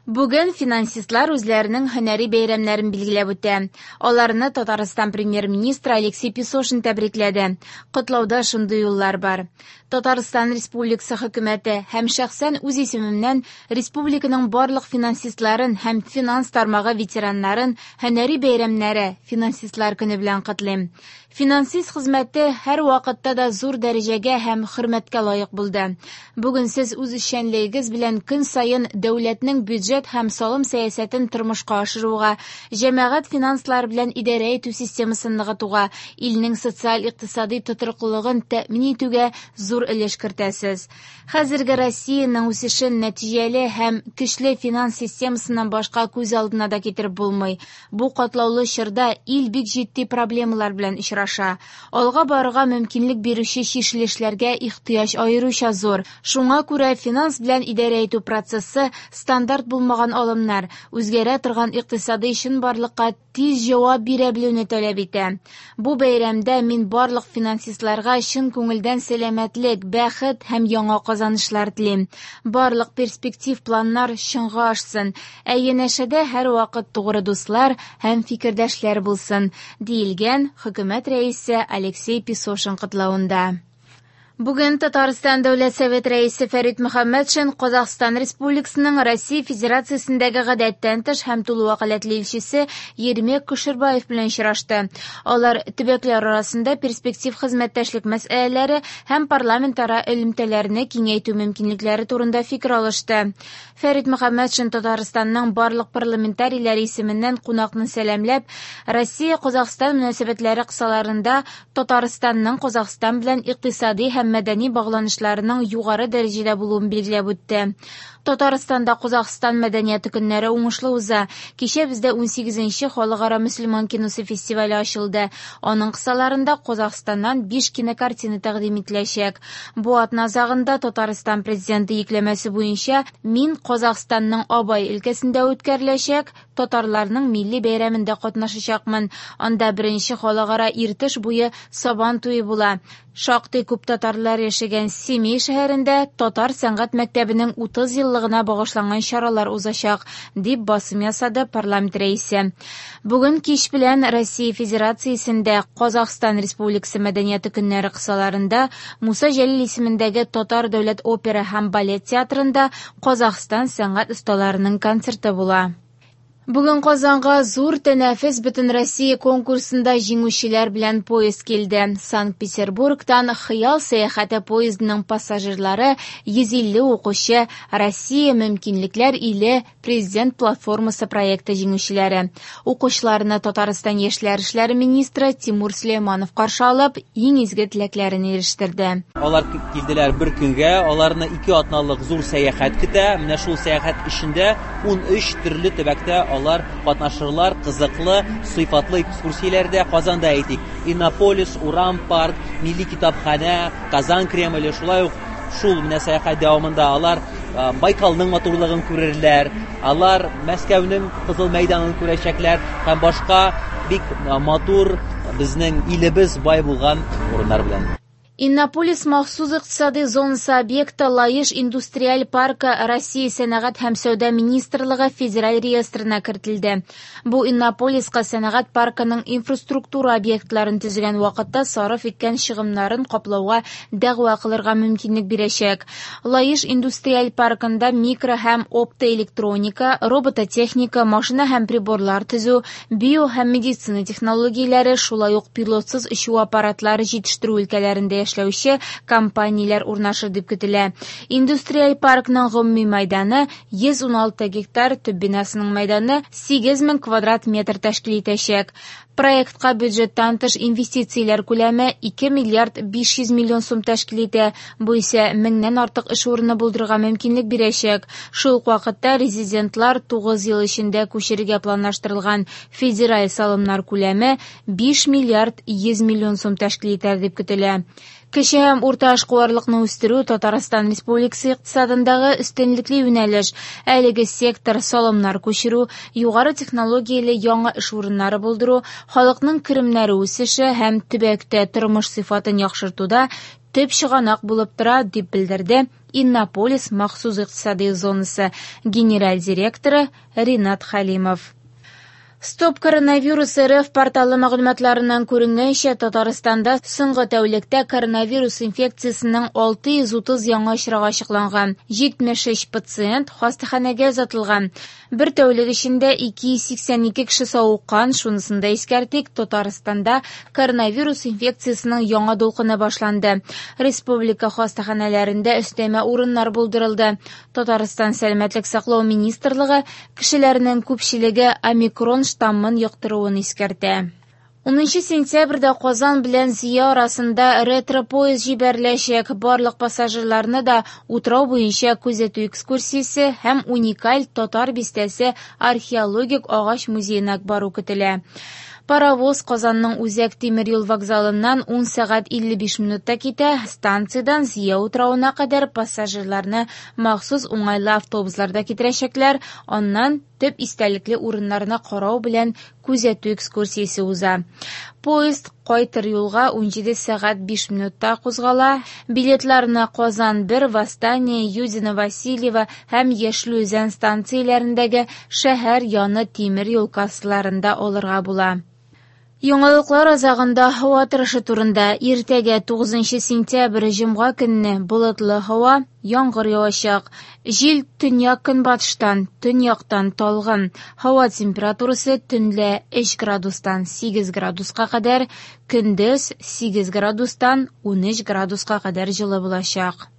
Бүген финансистлар үзләренең һөнәри бәйрәмнәрен билгеләп үтә. Аларны Татарстан премьер-министры Алексей Песошин тәбрикләде. Котлауда шундый юллар бар. Татарстан Республикасы хөкүмәте һәм шәхсән үз исемемнән республиканың барлык финансистларын һәм финанс тармагы ветераннарын һөнәри бәйрәмнәре Финансистлар көне белән котлыйм. Финансист хезмәте һәрвакытта да зур дәрәҗәгә һәм хөрмәткә лаек булды. Бүген сез үз эшчәнлегегез белән көн саен дәүләтнең бюджет һәм салым сәясәтен тормышка ашыруга, җәмәгать финанслары белән идарә итү системасын ныгытуга, илнең социаль-икътисади тотрыклылыгын тәэмин итүгә зур өлеш кертәсез. Хәзерге Россиянең үсешен нәтиҗәле һәм көчле финанс системасыннан башка күз алдына да китереп булмый. Бу катлаулы чорда ил бик җитди проблемалар белән очраша. Алга барырга мөмкинлек бирүче чишелешләргә ихтыяҗ аеруча зур. Шуңа күрә финанс белән идарә итү процессы стандарт булмаган алымнар, үзгәрә торган икътисадый чынбарлыкка тиз җавап бирә белүне таләп итә. Бу бәйрәмдә мин барлык финансистларга чын күңелдән сәламәтлек, бәхет һәм яңа казанышлар телим. Барлык перспектив планнар чынга ашсын, ә янәшәдә һәрвакыт тугры дуслар һәм фикердәшләр булсын, диелгән Хөкүмәт Рәисе Алексей Песошин котлавында. Бүген Татарстан Дәүләт Совет Рәисе Фәрит Мөхәммәтшин Казахстан Республикасының Россия Федерациясендәге гадәттән тыш һәм тулы вәкаләтле илчесе Ермек Кошербаев белән очрашты. Алар төбәкләр арасында перспектив хезмәттәшлек мәсьәләләре һәм парламентара элемтәләрне киңәйтү мөмкинлекләре турында фикер алышты. Фәрит Мөхәммәтшин Татарстанның барлык парламентарийләре исеменнән кунакны сәламләп, Россия-Казахстан мөнәсәбәтләре кысаларында Татарстанның Казахстан белән икътисади һәм мәдәни багланышларының югары дәрәҗәдә булуын билгеләп үтте. Татарстанда Казахстан мәдәнияте көннәре уңышлы уза. Кичә бездә 18нче халыкара мөселман киносы фестивале ачылды. Аның кысаларында Казахстаннан 5 кинокартина тәкъдим ителәчәк. Бу атна азагында Татарстан президенты йөкләмәсе буенча мин Казахстанның Абай өлкәсендә үткәреләчәк татарларның милли бәйрәмендә катнашачакмын. Анда беренче халыкара Иртыш буе Сабан туе була. Шактый күп татарлар яшәгән Семей шәһәрендә татар сәнгать мәктәбенең 30 еллыгына багышланган чаралар узачак, дип басым ясады парламент рәисе. Бүген кич белән Россия Федерациясендә Казахстан Республикасы мәдәнияте көннәре кысаларында Муса Җәлил исемендәге Татар дәүләт опера һәм балет театрында Казахстан сәнгать осталарының концерты була. Бүген Казанга зур тәнәфес Бөтенроссия конкурсында җиңүчеләр белән поезд килде. Санкт-Петербургтан Хыял сәяхәте поездының пассажирлары 150 укучы Россия мөмкинлекләр иле Президент платформасы проекты җиңүчеләре. Укучыларны Татарстан яшьләр эшләре министры Тимур Сөләйманов каршы алып, иң изге теләкләрен ирештерде. Алар килделәр бер көнгә, аларны ике атналык зур сәяхәт көтә. Менә шул сәяхәт эчендә 13 төрле төбәктә алар катнашырлар, кызыклы, сыйфатлы экскурсияләрдә. Казанда әйтик, Иннополис, Урам парк, Милли китапханә, Казан Кремле, шулай ук шул менә сәяхәт дәвамында алар Байкалның матурлыгын күрерләр, алар Мәскәүнең Кызыл мәйданын күрәчәкләр һәм башка бик матур безнең илебез бай булган урыннар белән. Иннополис махсус икътисади зонасы объекты Лаеш индустриаль паркы Россия Сәнәгать һәм сәүдә министрлыгы федераль реестрына кертелде. Бу Иннополиска сәнәгать паркының инфраструктура объектларын төзегән вакытта сарыф иткән чыгымнарын каплауга дәгъва кылырга мөмкинлек бирәчәк. Лаеш индустриаль паркында микро һәм оптоэлектроника, робототехника, машина һәм приборлар төзү, био һәм медицина технологияләре, шулай ук пилотсыз очу аппаратлары җитештерү өлкәләрендә эшләүче компанияләр урнашыр дип көтелә. Индустриаль паркның гомуми мәйданы 116 гектар, төп бинасының мәйданы 8000 квадрат метр тәшкил итәчәк. Проектка бюджеттан тыш инвестицияләр күләме 2 миллиард 500 миллион сум тәшкил итә. Бу исә меңнән артык эш урыны булдырырга мөмкинлек бирәчәк. Шул ук вакытта резидентлар 9 ел эчендә күчерергә планлаштырылган федераль салымнар күләме 5 миллиард 100 миллион сум тәшкил итәр дип көтелә. Кече һәм урта эшкуарлыкны үстерү Татарстан Республикасы икътисадындагы өстенлекле юнәлеш. Әлеге сектор салымнар күчерү, югары технологияле яңа эш урыннары булдыру, халыкның керемнәре үсеше һәм төбәктә тормыш сыйфатын яхшыртуда төп чыганак булып тора, дип белдерде Иннополис махсус икътисади зонасы генераль директоры Ринат Хәлимов. Стоп коронавирус РФ порталы мәгълүматларыннан күренгәнчә, Татарстанда соңгы тәүлектә коронавирус инфекциясенең 630 яңа очрагы ачыкланган. 73 пациент хастаханәгә озатылган. Бер тәүлек эчендә 282 кеше савыккан. Шунысын да искәртик, Татарстанда коронавирус инфекциясенең яңа дулкыны башланды. Республика хастаханәләрендә өстәмә урыннар булдырылды. Татарстан Сәламәтлек саклау министрлыгы кешеләрнең күпчелеге омикрон штаммын йоктыруын искәртә. 10 сентябрьдә Казан белән Зөя арасында ретро-поезд җибәреләчәк. Барлык пассажирларны да утрау буенча күзәтү экскурсиясе һәм уникаль Татар бистәсе археологик агач музеена бару көтелә. Паровоз Казанның үзәк тимер юл вокзалыннан 10 сәгать 55 минутта китә. Станциядән Зөя утравына кадәр пассажирларны махсус уңайлы автобусларда китерәчәкләр. Аннан төп истәлекле урыннарны карау белән күзәтү экскурсиясе уза. Поезд кайтыр юлга 17 сәгать 5 минутта кузгала. Билетларны Казан 1, Восстание, Юдино, Васильево һәм Яшел Үзән станцияләрендәге шәһәр яны тимер юл кассаларында алырга була. Яңалыклар азагында һава торышы турында. Иртәгә 9 сентябрь җомга көнне болытлы һава, яңгыр явачак. Җил төньяк-көнбатыштан, төньяктан талгын. Һава температурасы төнлә 3 градустан 8 градуска кадәр, көндез 8 градустан 13 градуска кадәр җылы булачак.